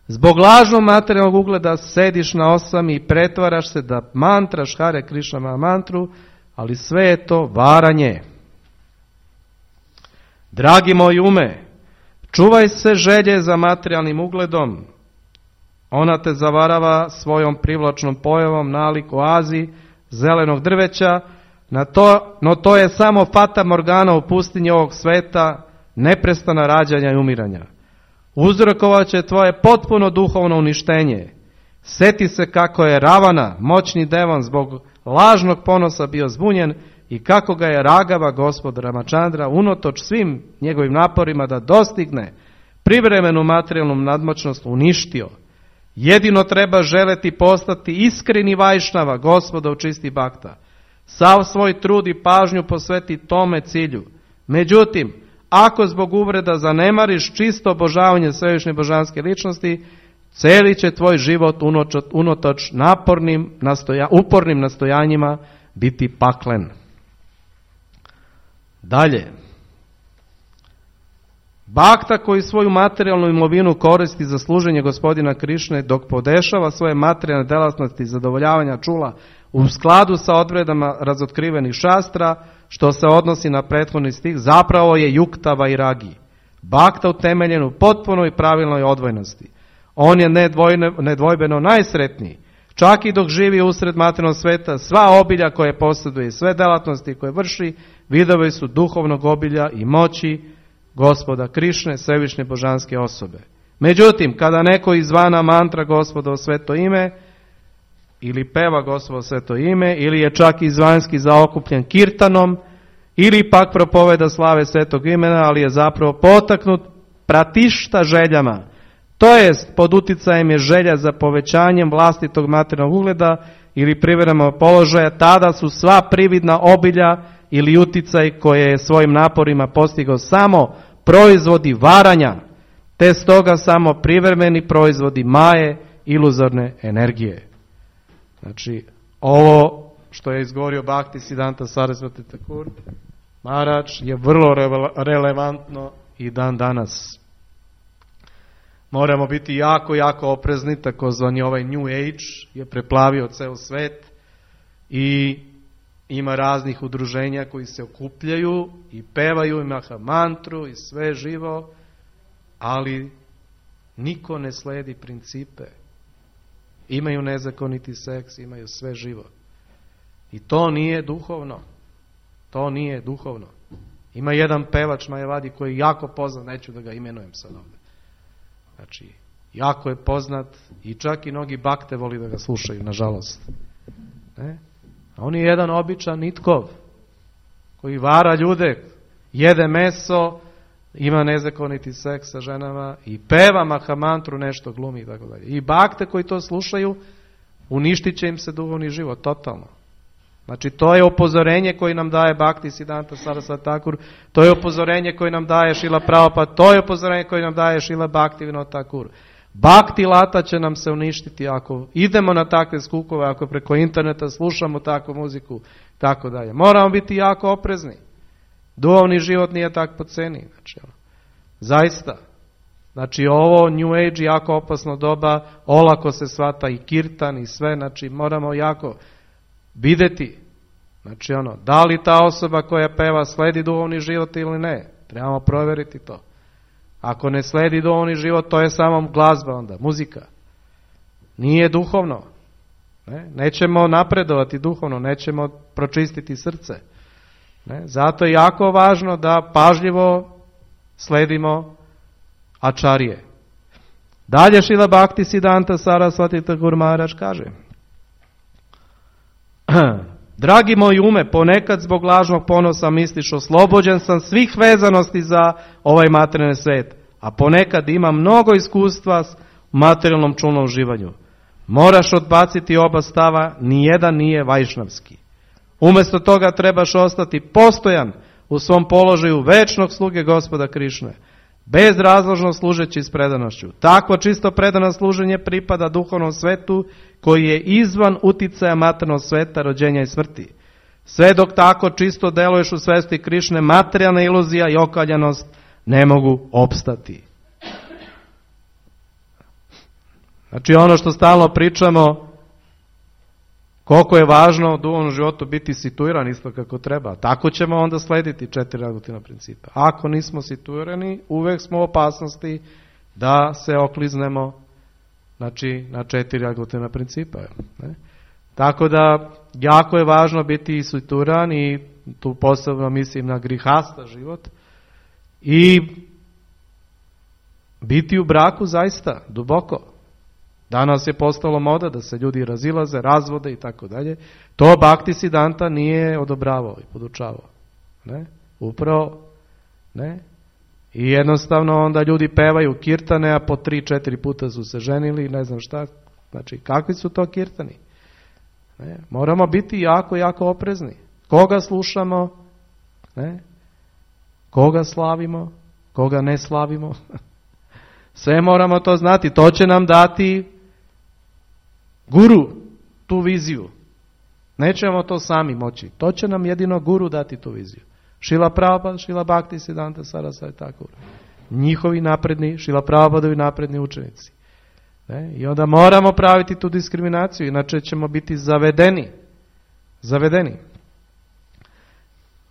Zbog lažnog materijalnog ugleda sediš na osami i pretvaraš se da mantraš Hare Krišna mantru, ali sve je to varanje. Dragi moj ume, čuvaj se želje za materijalnim ugledom. Ona te zavarava svojom privlačnom pojavom nalik oazi zelenog drveća, na to, no to je samo fata morgana u pustinji ovog sveta, neprestana rađanja i umiranja. Uzrokovat će tvoje potpuno duhovno uništenje. Seti se kako je Ravana, moćni devan, zbog lažnog ponosa bio zbunjen i kako ga je Ragava, gospod Ramachandra, unotoč svim njegovim naporima da dostigne privremenu materijalnu nadmoćnost, uništio. Jedino treba želeti postati iskreni vajšnava, gospodov čisti bakta. Sav svoj trud i pažnju posveti tome cilju. Međutim, ako zbog uvreda zanemariš čisto obožavanje svevišnje božanske ličnosti, cijeli će tvoj život unotoč napornim, nastoja, upornim nastojanjima biti paklen. Dalje. Bakta koji svoju materijalnu imovinu koristi za služenje gospodina Krišne dok podešava svoje materijalne delatnosti i zadovoljavanja čula u skladu sa odredama razotkrivenih šastra, što se odnosi na prethodni stih, zapravo je juktava i ragi. Bakta utemeljen u potpunoj pravilnoj odvojnosti. On je nedvojne, nedvojbeno najsretniji. Čak i dok živi usred materijalnog sveta, sva obilja koje posjeduje i sve delatnosti koje vrši, vidovi su duhovnog obilja i moći gospoda Krišne, svevišnje božanske osobe. Međutim, kada neko izvana mantra gospodovo sveto ime, ili peva gospodovo sveto ime, ili je čak izvanjski zaokupljen kirtanom, ili pak propoveda slave svetog imena, ali je zapravo potaknut pratišta željama, to jest pod uticajem je želja za povećanjem vlastitog materijalnog ugleda ili privremenog položaja, tada su sva prividna obilja ili uticaj koje je svojim naporima postigao samo proizvodi varanja, te stoga samo privremeni proizvodi maje, iluzorne energije. Znači, ovo što je izgovorio Bhakti Siddhanta Sarasvati Thakur Maharaj je vrlo relevantno i dan danas. Moramo biti jako, jako oprezni, takozvani ovaj New Age je preplavio ceo svet i ima raznih udruženja koji se okupljaju i pevaju i maha mantru i sve živo, ali niko ne sledi principe. Imaju nezakoniti seks, imaju sve živo. I to nije duhovno. To nije duhovno. Ima jedan pevač Majavadi koji je jako poznat, neću da ga imenujem sad ovdje. Znači, jako je poznat i čak i mnogi bakte voli da ga slušaju, nažalost. Ne? A on je jedan običan nitkov koji vara ljude, jede meso, ima nezakoniti seks sa ženama i peva mahamantru, nešto glumi i tako dalje. I bakte koji to slušaju, uništit će im se duhovni život, totalno. Znači, to je upozorenje koje nam daje Bhakti Siddhanta Sarasvati Thakur, to je upozorenje koje nam daje Šrila Prabhupada, to je upozorenje koje nam daje Šrila Bhaktivinoda Thakur. Bhakti lata će nam se uništiti ako idemo na takve skukove, ako preko interneta slušamo takvu muziku, tako dalje. Moramo biti jako oprezni. Duhovni život nije tak po ceni. Znači, zaista. Znači, ovo New Age jako opasno doba, olako se shvata i kirtan i sve, znači moramo jako vidjeti, znači ono, da li ta osoba koja peva sledi duhovni život ili ne. Trebamo provjeriti to. Ako ne sledi duhovni život, to je samo glazba onda, muzika. Nije duhovno. Ne? Nećemo napredovati duhovno, nećemo pročistiti srce. Ne? Zato je jako važno da pažljivo sledimo ačarije. Dalje Šrila Bhakti Siddhanta Sarasvati Thakur Maharaj kaže: dragi moj ume, ponekad zbog lažnog ponosa misliš oslobođen sam svih vezanosti za ovaj materijalni svijet, a ponekad ima mnogo iskustva s materijalnom čulnom uživanju. Moraš odbaciti oba stava, nijedan nije vajšnavski. Umjesto toga trebaš ostati postojan u svom položaju večnog sluge gospoda Krišne, bezrazložno služeći s predanošću. Takvo čisto predano služenje pripada duhovnom svetu koji je izvan uticaja materijalnog sveta, rođenja i smrti. Sve dok tako čisto deluješ u svesti Krišne, materijalna iluzija i okaljanost ne mogu opstati. Znači ono što stalno pričamo, koliko je važno u duhovnom životu biti situiran isto kako treba. Tako ćemo onda slediti četiri regulativna principa. Ako nismo situirani, uvek smo u opasnosti da se okliznemo, znači, na četiri regulativna principa. Ne? Tako da, jako je važno biti situiran i tu posebno mislim na grihasta život i biti u braku zaista duboko. Danas je postalo moda da se ljudi razilaze, razvode i tako dalje. To Bhakti Siddhanta nije odobravao i podučavao. Ne? Upravo, ne? I jednostavno onda ljudi pevaju kirtane, a po tri, četiri puta su se ženili, ne znam šta. Znači, kakvi su to kirtani? Ne? Moramo biti jako, jako oprezni. Koga slušamo? Ne? Koga slavimo? Koga ne slavimo? Sve moramo to znati. To će nam dati guru, tu viziju. Nećemo to sami moći. To će nam jedino guru dati tu viziju. Šrila Prabhupada, Šrila Bhakti Siddhanta Sarasvati Thakur. Njihovi napredni, Šrila Prabhupadovi napredni učenici. Ne? I onda moramo praviti tu diskriminaciju, inače ćemo biti zavedeni. Zavedeni.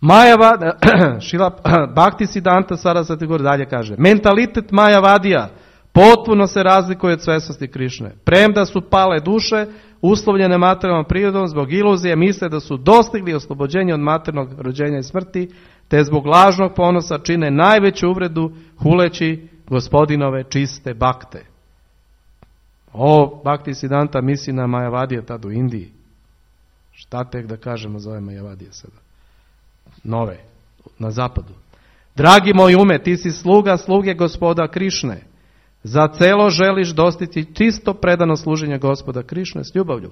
Majavada, Šrila Bhakti Siddhanta Sarasvati Thakur dalje kaže, mentalitet Majavadija potpuno se razlikuje od svesnosti Krišne. Premda su pale duše, uslovljene materijalnom prirodom, zbog iluzije misle da su dostigli oslobođenje od materijalnog rođenja i smrti, te zbog lažnog ponosa čine najveću uvredu huleći gospodinove čiste bakte. O, Bhakti Siddhanta misli na Majavadije tad u Indiji. Šta tek da kažemo za ove Majavadije sada? Nove, na zapadu. Dragi moj ume, ti si sluga sluge gospoda Krišne. Za celo želiš dostići čisto predano služenje gospoda Krišne s ljubavlju.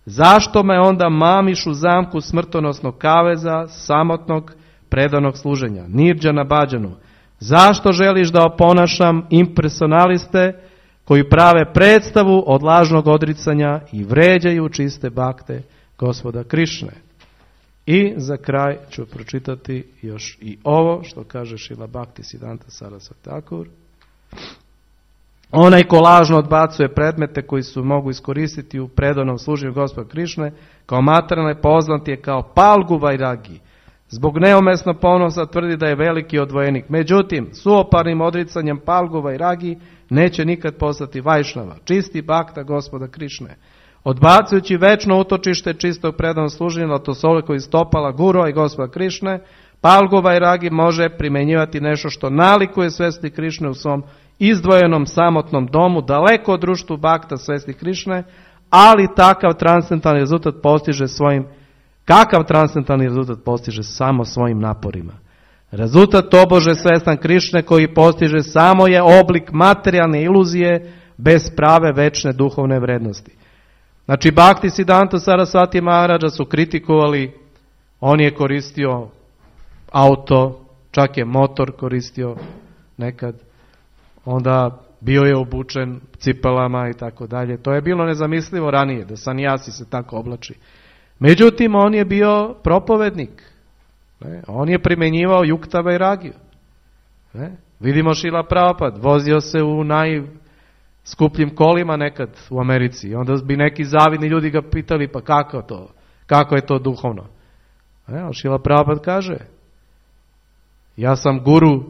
Zašto me onda mamiš u zamku smrtonosnog kaveza, samotnog predanog služenja, nirđana bađanu? Zašto želiš da oponašam impersonaliste koji prave predstavu od lažnog odricanja i vređaju čiste bakte gospoda Krišne? I za kraj ću pročitati još i ovo što kaže Šrila Bhakti Siddhanta Sarasvati Thakur. Onaj ko lažno odbacuje predmete koji su mogu iskoristiti u predanom služenju gospoda Krišne, kao materijalne poznat je kao Palgu Vairagi. Zbog neumesno ponosa tvrdi da je veliki odvojenik. Međutim, suoparnim odricanjem Palgu Vairagi neće nikad postati Vajšnava, čisti bakta gospoda Krišne. Odbacujući večno utočište čistog predanog služenja, to su ove koji stopala Guru i gospoda Krišne, Palgu Vairagi može primjenjivati nešto što nalikuje svesti Krišne u svom izdvojenom samotnom domu, daleko od društvu bakta svesti Krišne, ali takav transcendentalni rezultat postiže svojim, kakav transcendentalni rezultat postiže samo svojim naporima. Rezultat tobože svestan Krišne koji postiže samo je oblik materijalne iluzije bez prave večne duhovne vrednosti. Znači, Bhakti Siddhanta Sarasvati Maharaja su kritikovali, on je koristio auto, čak je motor koristio nekad, onda bio je obučen cipelama i tako dalje. To je bilo nezamislivo ranije, da sanjasi se tako oblači. Međutim, on je bio propovednik. Ne? On je primjenjivao Yukta Vairagiju. Ne? Vidimo Šrila Prabhupada, vozio se u najskupljim kolima nekad u Americi. I onda bi neki zavidni ljudi ga pitali, pa kako to? Kako je to duhovno? Ne? Šrila Prabhupada kaže, ja sam guru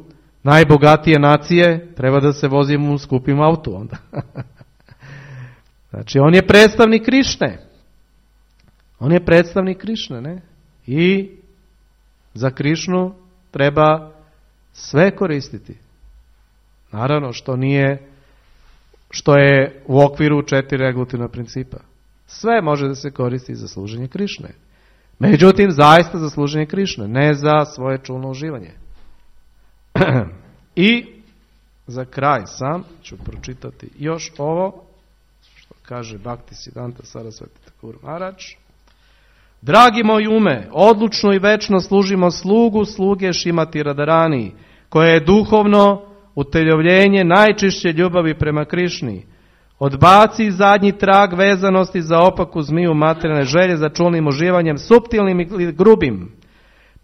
najbogatije nacije, treba da se vozim u skupim autu onda. Znači, on je predstavnik Krišne. On je predstavnik Krišne, ne? I za Krišnu treba sve koristiti. Naravno, što nije, što je u okviru četiri regulativna principa. Sve može da se koristi za služenje Krišne. Međutim, zaista za služenje Krišne, ne za svoje čulno uživanje. I za kraj sam ću pročitati još ovo što kaže Bhakti Siddhanta Sarasvati Thakur Maharaj. Dragi moj ume, odlučno i večno služimo slugu sluge Šrimati Radharani, koje je duhovno uteljovljenje najčišće ljubavi prema Krišni. Odbaci zadnji trag vezanosti za opaku zmiju materijalne želje za čulnim uživanjem, suptilnim i grubim.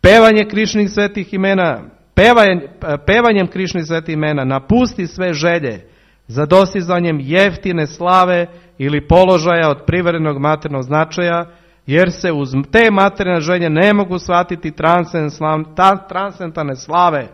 Pevanje Krišnih svetih imena, Pevanjem, pevanjem Krišnih svetih imena napusti sve želje, za dostizanjem jeftine slave ili položaja od privremenog materijalnog značaja, jer se uz te materijalne želje ne mogu shvatiti transcendentalne slave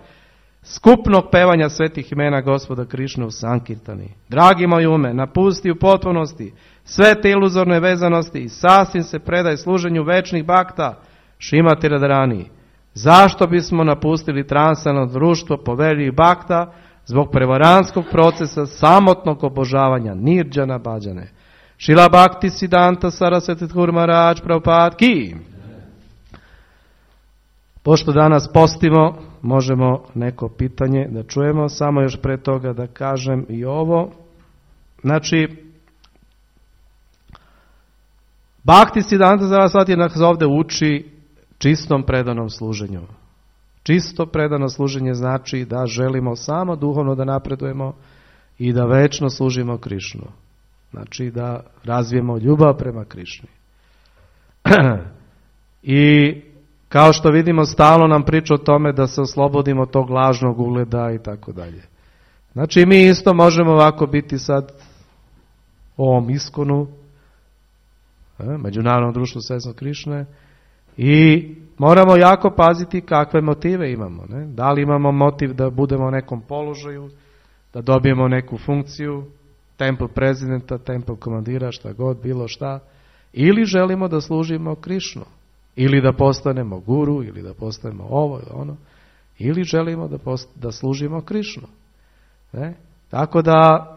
skupnog pevanja svetih imena Gospoda Krišne u Sankirtani. Dragi moj ume, napusti u potpunosti sve te iluzorne vezanosti i sasvim se predaj služenju večnih bakta Šrimati Radharani. Zašto bismo napustili transcendentalno društvo poveljivih bakta zbog prevaranskog procesa samotnog obožavanja nirđana bhađane? Šrila Bhakti Siddhanta Saraswati Thakur Maharaj Prabhupada ki. Pošto danas postimo, možemo neko pitanje da čujemo, samo još pre toga da kažem i ovo. Znači, Bhakti Siddhanta Saraswati nas ovde uči čistom predanom služenju. Čisto predano služenje znači da želimo samo duhovno da napredujemo i da večno služimo Krišnu. Znači da razvijemo ljubav prema Krišni. I kao što vidimo, stalno nam priča o tome da se oslobodimo tog lažnog ugleda i tako dalje. Znači mi isto možemo ovako biti sad u ovom iskonu, Međunarodnom društvu Svesnog Krišne, i moramo jako paziti kakve motive imamo. Ne? Da li imamo motiv da budemo u nekom položaju, da dobijemo neku funkciju, temple prezidenta, temple komandira, šta god, bilo šta, ili želimo da služimo Krišnu, ili da postanemo guru, ili da postanemo ovo ili ono, ili želimo da, post, da služimo Krišnu. Ne? Tako da,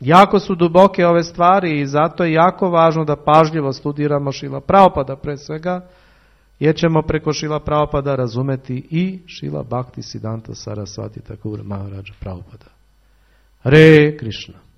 jako su duboke ove stvari i zato je jako važno da pažljivo studiramo Šrila Prabhupada pre svega, jer ćemo preko Šrila Prabhupada razumeti i Šrila Bhakti Siddhanta Saraswati Thakur Maharaj Prabhupada. Hare Krishna.